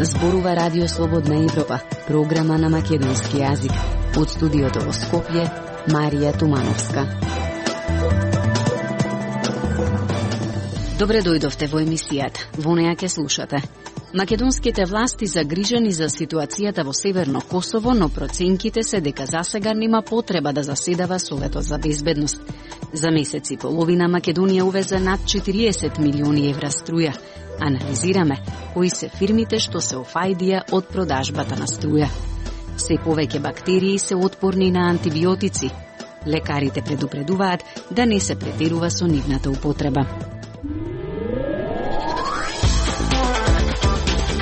Зборува Радио Слободна Европа, програма на македонски јазик. Од студиото во Скопје, Марија Тумановска. Добре дојдовте во емисијата. Во неја ќе слушате. Македонските власти загрижени за ситуацијата во Северно Косово, но проценките се дека засега нема потреба да заседава Советот за безбедност. За месец и половина Македонија увезе над 40 милиони евра струја. Анализираме кои се фирмите што се офајдија од продажбата на струја. Се повеќе бактерии се отпорни на антибиотици. Лекарите предупредуваат да не се претерува со нивната употреба.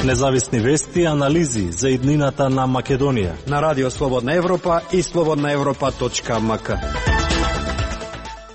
Независни вести и анализи за иднината на Македонија на Радио Слободна Европа и slobodnaevropa.mk.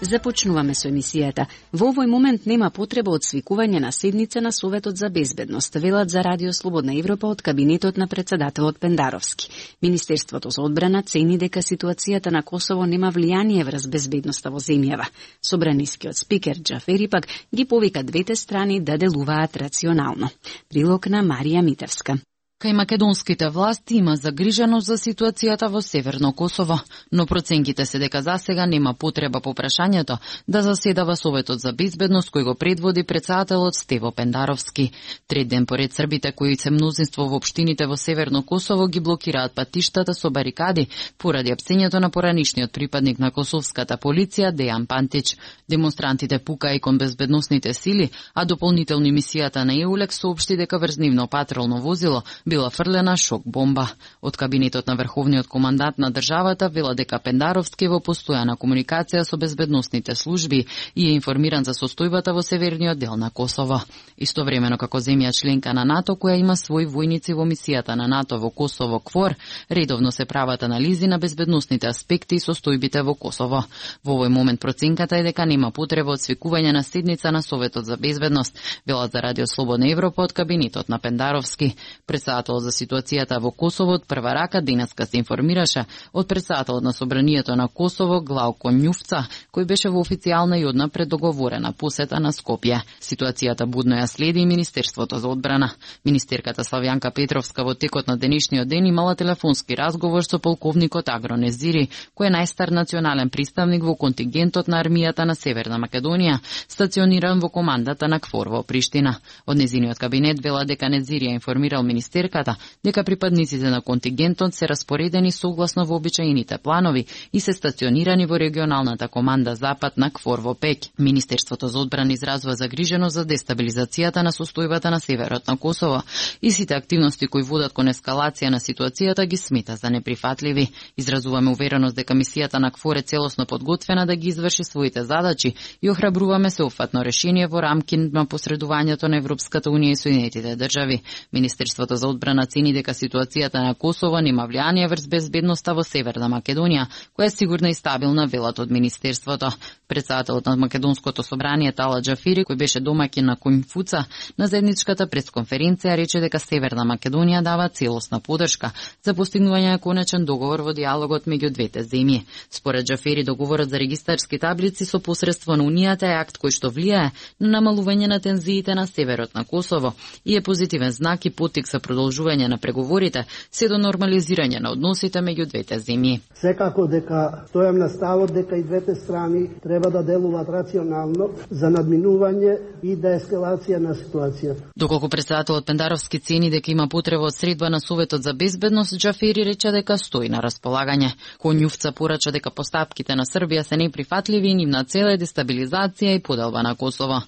Започнуваме со емисијата. Во овој момент нема потреба од свикување на седница на Советот за безбедност, велат за Радио Слободна Европа од кабинетот на председателот Пендаровски. Министерството за одбрана цени дека ситуацијата на Косово нема влијание врз безбедноста во земјава. Собранискиот спикер Џафери пак ги повика двете страни да делуваат рационално. Прилог на Марија Митевска. Кај македонските власти има загриженост за ситуацијата во Северно Косово, но проценките се дека засега нема потреба по прашањето да заседава Советот за безбедност кој го предводи председателот Стево Пендаровски. Трет ден поред србите кои се мнозинство во општините во Северно Косово ги блокираат патиштата со барикади поради апсењето на поранишниот припадник на косовската полиција Дејан Пантич. Демонстрантите пукаа и кон безбедносните сили, а дополнително мисијата на ЕУЛЕКС соопшти дека врз нивно патролно возило била фрлена шок бомба. Од кабинетот на врховниот командант на државата вела дека Пендаровски во постојана комуникација со безбедносните служби и е информиран за состојбата во северниот дел на Косово. Истовремено како земја членка на НАТО која има своји војници во мисијата на НАТО во Косово КФОР, редовно се прават анализи на безбедносните аспекти и состојбите во Косово. Во овој момент проценката е дека нема потреба од свикување на седница на Советот за безбедност, велат за Радио Слободна Европа од кабинетот на Пендаровски. Председателот за ситуацијата во Косово од прва рака денеска се информираше од председателот на Собранието на Косово Главко Њувца, кој беше во официјална и одна преддоговорена посета на Скопје. Ситуацијата будно ја следи и Министерството за одбрана. Министерката Славјанка Петровска во текот на денешниот ден имала телефонски разговор со полковникот Агро Незири, кој е најстар национален представник во контингентот на армијата на Северна Македонија, стациониран во командата на КФОР во Приштина. Од незиниот кабинет вела дека Незири ја информирал министерката дека припадниците на контингентот се распоредени согласно вообичаените планови и се стационирани во регионалната команда Запад на КФОР во Пеќ. Министерството за одбрана изразува загриженост за дестабилизацијата на состојбата на северот на Косово и сите активности кои водат кон ескалација на ситуацијата ги смета за неприфатливи. Изразуваме увереност дека мисијата на КФОР е целосно подготвена да ги изврши своите задачи и охрабруваме сеопфатно решение во рамки на посредувањето на Европската унија и Соединетите држави. Министерството за одбрана цени дека ситуацијата на Косово нема влијание врз безбедноста во Северна Македонија, која е сигурна и стабилна, велат од Министерството. Председателот на Македонското собрание Тала Џафери, кој беше домаќин на Конфуца, на заедничката пресконференција рече дека Северна Македонија дава целосна поддршка за постигнување на конечен договор во диалогот меѓу двете земји. Според Џафери, договорот за регистарски таблици со посредство на Унијата е акт кој што влијае на намалување на тензиите на северот на Косово и е позитивен знак и поттик за продолжување на преговорите се до нормализирање на односите меѓу двете земји. Секако дека стојам на ставот дека и двете страни треба да делуваат рационално за надминување и деескалација на ситуацијата. Доколку председателот Пендаровски цени дека има потреба од средба на Советот за безбедност, Џафери рече дека стои на располагање. Конјувца порача дека постапките на Србија се неприфатливи и нивна цел е дестабилизација и поделба на Косово.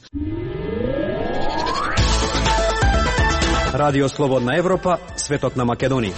Радио Слободна Европа, светот на Македонија.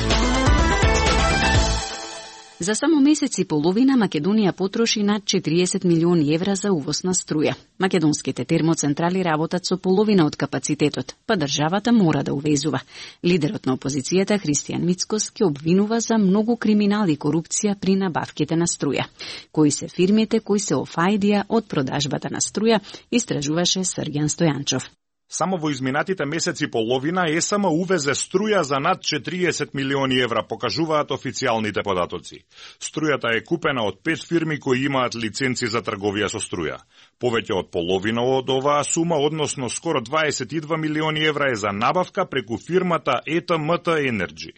За само месец и половина Македонија потроши над 40 милиони евра за увоз на струја. Македонските термоцентрали работат со половина од капацитетот, па државата мора да увезува. Лидерот на опозицијата Христијан Мицкос ке обвинува за многу криминал и корупција при набавките на струја. Кои се фирмите кои се офајдија од продажбата на струја, истражуваше Срѓан Стојанчов. Само во изминатите месеци половина ЕСМ увезе струја за над 40 милиони евра, покажуваат официјалните податоци. Струјата е купена од 5 фирми кои имаат лиценци за трговија со струја. Повеќе од половина од оваа сума, односно скоро 22 милиони евра е за набавка преку фирмата ЕТМТ Energy.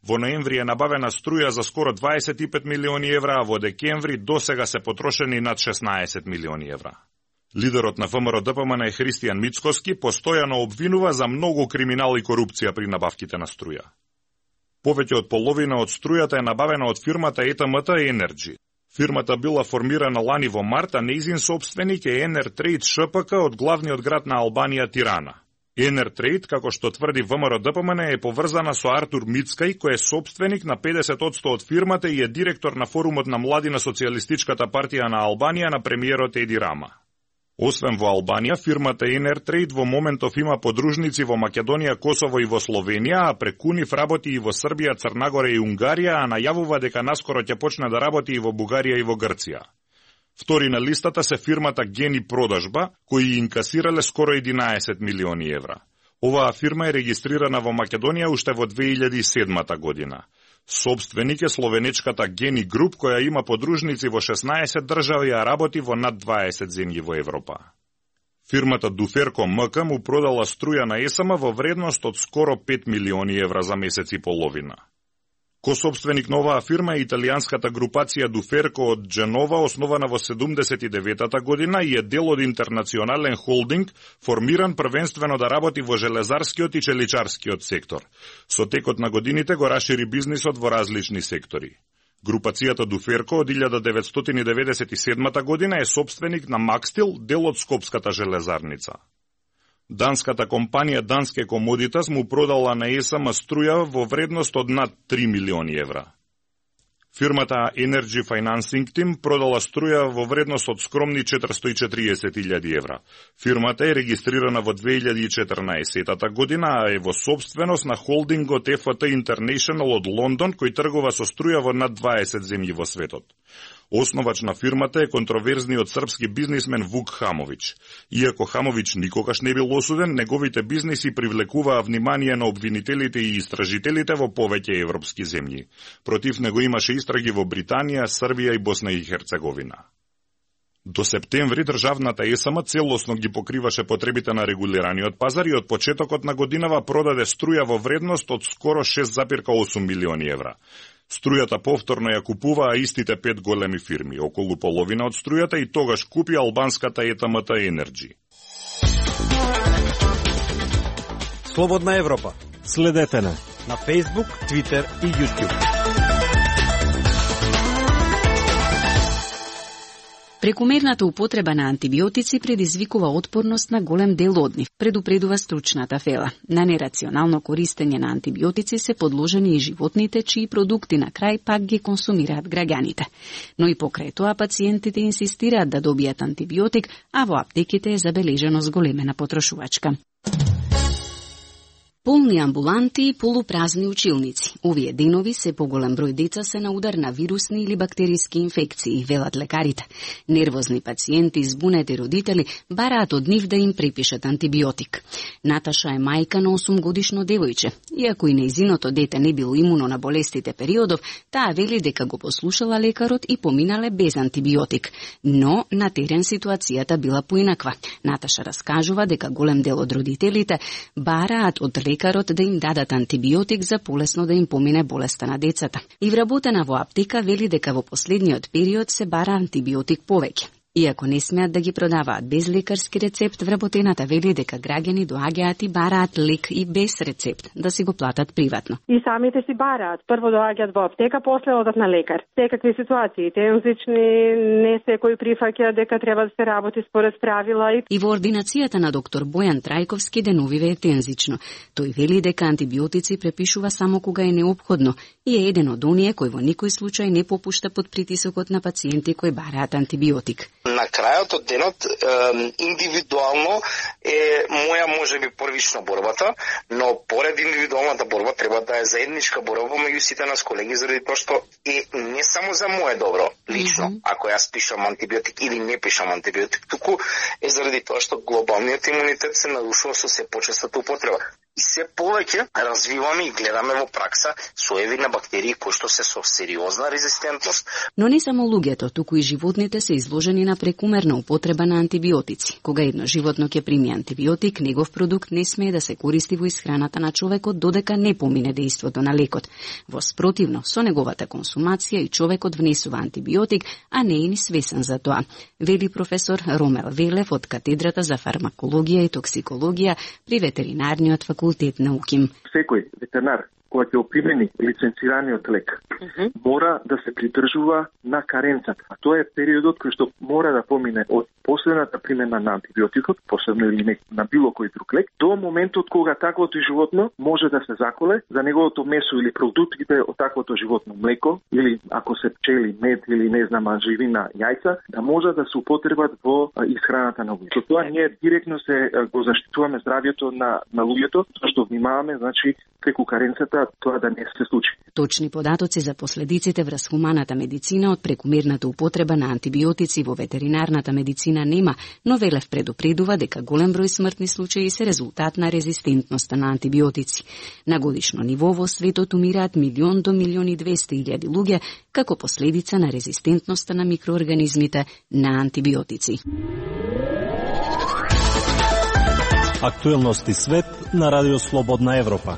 Во ноември е набавена струја за скоро 25 милиони евра, а во декември досега се потрошени над 16 милиони евра. Лидерот на ВМРО-ДПМН е Христијан Мицкоски, постојано обвинува за многу криминал и корупција при набавките на струја. Повеќе од половина од струјата е набавена од фирмата ЕТМТ Energy. Фирмата била формирана лани во март, а нејзин собственик е Енертрейд ШПК од главниот град на Албанија Тирана. Енертрейд, како што тврди ВМРО-ДПМН, е поврзана со Артур Мицкај, кој е собственик на 50% од фирмата и е директор на форумот на млади на Социјалистичката партија на Албанија на премиерот Еди Рама. Освен во Албанија, фирмата Енертрейд во моментов има подружници во Македонија, Косово и во Словенија, а преку нив работи и во Србија, Црнагора и Унгарија, а најавува дека наскоро ќе почне да работи и во Бугарија и во Грција. Втори на листата се фирмата Гени Продажба, кои инкасирале скоро 11 милиони евра. Оваа фирма е регистрирана во Македонија уште во 2007 година. Собственик е словенечката Гени Груп, која има подружници во 16 држави, а работи во над 20 земји во Европа. Фирмата Дуферко МК му продала струја на ЕСМ во вредност од скоро 5 милиони евра за месец и половина. Кособственик на оваа фирма е италијанската групација Дуферко од Дженова, основана во 79-та година и е дел од интернационален холдинг, формиран првенствено да работи во железарскиот и челичарскиот сектор. Со текот на годините го расшири бизнисот во различни сектори. Групацијата Дуферко од 1997 година е собственик на Макстил, дел од Скопската железарница. Данската компанија Danske Commodities му продала на ЕСМ струја во вредност од над 3 милиони евра. Фирмата Energy Financing Team продала струја во вредност од скромни 440.000 евра. Фирмата е регистрирана во 2014 година, а е во собственост на холдингот FT International од Лондон, кој тргува со струја во над 20 земји во светот. Основач на фирмата е контроверзниот српски бизнисмен Вук Хамович. Иако Хамович никогаш не бил осуден, неговите бизниси привлекуваа внимание на обвинителите и истражителите во повеќе европски земји. Против него имаше истраги во Британија, Србија и Босна и Херцеговина. До септември државната ЕСМ целосно ги покриваше потребите на регулираниот пазар и од почетокот на годинава продаде струја во вредност од скоро 6,8 милиони евра. Струјата повторно ја купуваа истите 5 големи фирми, околу половина од струјата и тогаш купи албанската ЕТМТ Energy. Слободна Европа. Следете на Facebook, Twitter и YouTube. Прекумерната употреба на антибиотици предизвикува отпорност на голем дел од нив, предупредува стручната фела. На нерационално користење на антибиотици се подложени и животните, чии продукти на крај пак ги консумираат граѓаните. Но и покрај тоа пациентите инсистираат да добијат антибиотик, а во аптеките е забележено зголемена потрошувачка. Полни амбуланти и полупразни училници. Овие денови се поголем број деца се на удар на вирусни или бактериски инфекции, велат лекарите. Нервозни пациенти и збунети родители бараат од нив да им препишат антибиотик. Наташа е мајка на 8-годишно девојче. Иако и нејзиното дете не било имуно на болестите периодов, таа вели дека го послушала лекарот и поминале без антибиотик. Но на терен ситуацијата била поинаква. Наташа раскажува дека голем дел од родителите бараат од лекарот да им дадат антибиотик за полесно да им помине болеста на децата. И вработена во аптека вели дека во последниот период се бара антибиотик повеќе. Иако не смеат да ги продаваат без лекарски рецепт, вработената вели дека граѓани доаѓаат и бараат лек и без рецепт, да си го платат приватно. И самите си бараат. Прво доаѓаат во аптека, после одат на лекар. Секакви ситуации, тензични, не секој прифаќа дека треба да се работи според правила. И во ординацијата на доктор Бојан Трајковски деновиве е тензично. Тој вели дека антибиотици препишува само кога е неопходно и е еден од оние кој во никој случај не попушта под притисокот на пациенти кои бараат антибиотик. На крајот од денот индивидуално е моја можеби првично борбата, но поред индивидуалната борба треба да е заедничка борба меѓу сите нас колеги, заради тоа што е не само за мое добро лично, ако јас пишам антибиотик или не пишам антибиотик, туку е заради тоа што глобалниот имунитет се нарушува со се почестата употреба. И се повеќе развиваме и гледаме во пракса соеви на бактерии кои што се со сериозна резистентност. Но не само луѓето, туку и животните се изложени на прекумерна употреба на антибиотици. Кога едно животно ќе прими антибиотик, негов продукт не смее да се користи во исхраната на човекот додека не помине дејството на лекот. Во спротивно, со неговата консумација и човекот внесува антибиотик, а не е ни свесен за тоа, вели професор Ромел Велев од катедрата за фармакологија и токсикологија при ветеринарниот факултет на УКИМ. Секој ветеринар кој ќе опримени лиценцираниот лек, мора да се придржува на каренцата. А тоа е периодот кој што мора да помине од последната примена на антибиотикот, посебно или на било кој друг лек, до моментот кога таквото животно може да се заколе за неговото месо или продуктите од таквото животно, млеко или ако се пчели, мед или не знам, живина, јајца, да може да се употребат во исхраната на луѓето. Со тоа ние директно се го заштитуваме здравјето на луѓето, што внимаваме, значи, преку каренцата тоа да не се случи. Точни податоци за последиците врз хуманата медицина од прекумерната употреба на антибиотици во ветеринарната медицина нема, но Велев предупредува дека голем број смртни случаи се резултат на резистентноста на антибиотици. На годишно ниво во светот умираат 1 до 1.200.000 луѓе како последица на резистентноста на микроорганизмите на антибиотици. Актуелности свет на Радио Слободна Европа.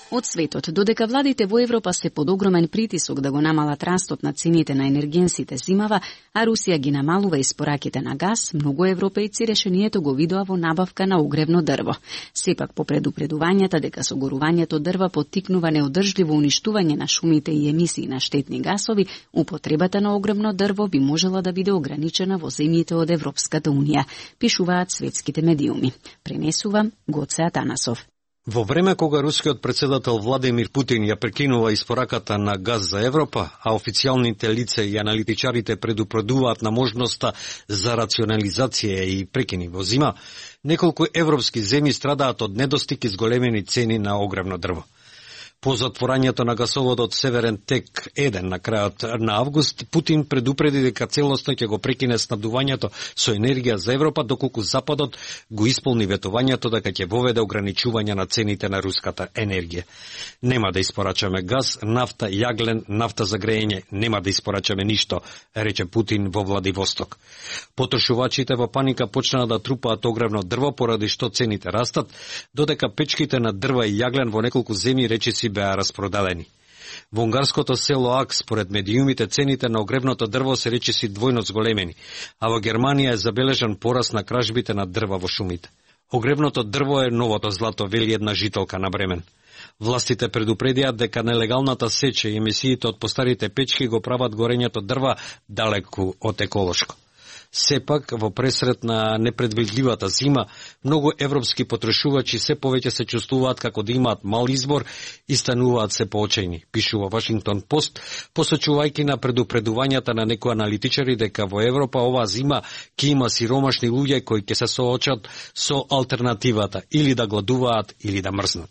Од светот, додека владите во Европа се под огромен притисок да го намалат растот на цените на енергенсите зимава, а Русија ги намалува испораките на газ, многу европејци решението го видоа во набавка на огревно дрво. Сепак, по предупредувањата дека согорувањето дрва поттикнува неодржливо уништување на шумите и емисии на штетни гасови, употребата на огревно дрво би можела да биде ограничена во земјите од Европската унија, пишуваат светските медиуми. Пренесува Гоце Атанасов. Во време кога рускиот председател Владимир Путин ја прекинува испораката на газ за Европа, а официјалните лица и аналитичарите предупредуваат на можноста за рационализација и прекини во зима, неколку европски земји страдаат од недостиг и зголемени цени на огревно дрво. По затворањето на гасоводот Северен Тек 1 на крајот на август, Путин предупреди дека целосно ќе го прекине снабдувањето со енергија за Европа, доколку Западот го исполни ветувањето дека ќе воведе ограничување на цените на руската енергија. Нема да испорачаме газ, нафта, јаглен, нафта за грејење, нема да испорачаме ништо, рече Путин во Владивосток. Потрошувачите во паника почнаа да трупаат огревно дрво поради што цените растат, додека печките на дрва и јаглен во неколку земји речиси беа распродадени. Во унгарското село Ак, според медиумите, цените на огревното дрво се речиси двојно зголемени, а во Германија е забележан пораст на кражбите на дрва во шумите. Огревното дрво е новото злато, вели една жителка на Бремен. Властите предупредиат дека нелегалната сеча и емисиите од постарите печки го прават горењето дрва далеку од еколошко. Сепак, во пресред на непредвидливата зима, многу европски потрошувачи се повеќе се чувствуваат како да имаат мал избор и стануваат се поочајни, пишува Вашингтон Пост, посочувајќи на предупредувањата на некои аналитичари дека во Европа оваа зима ќе има сиромашни луѓе кои ќе се соочат со алтернативата или да гладуваат или да мрзнат.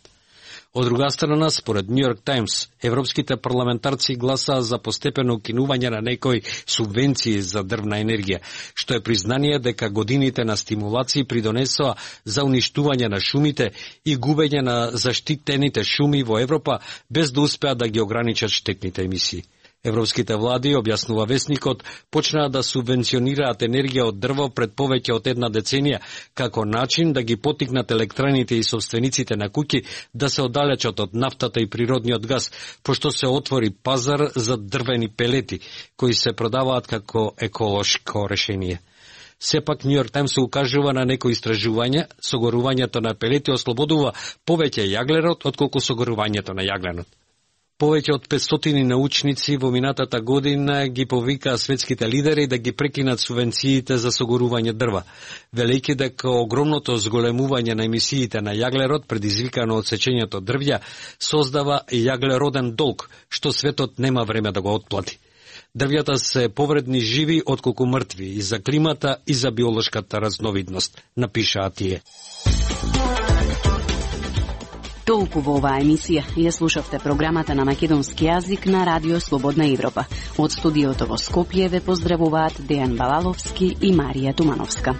Од друга страна, според Нью Йорк Таймс, европските парламентарци гласаа за постепено укинување на некои субвенции за дрвна енергија, што е признание дека годините на стимулации придонесоа за уништување на шумите и губење на заштитените шуми во Европа, без да успеат да ги ограничат штетните емисии. Европските влади, објаснува весникот, почнаа да субвенционираат енергија од дрво пред повеќе од една деценија, како начин да ги поттикнат електраните и собствениците на куќи да се оддалечат од нафтата и природниот газ, пошто се отвори пазар за дрвени пелети, кои се продаваат како еколошко решение. Сепак Нью Йорк Таймс се укажува на некои истражувања, согорувањето на пелети ослободува повеќе јаглерот отколку согорувањето на јагленот. Повеќе од 500 научници во минатата година ги повикаа светските лидери да ги прекинат субвенциите за согорување дрва, велејќи дека огромното зголемување на емисиите на јаглерод предизвикано од сечењето дрвја создава јаглероден долг, што светот нема време да го отплати. Дрвјата се повредни живи отколку мртви и за климата и за биолошката разновидност, напишаа тие. Толку во оваа емисија ја слушавте програмата на македонски јазик на Радио Слободна Европа. Од студиото во Скопје ве поздравуваат Дејан Балаловски и Марија Тумановска.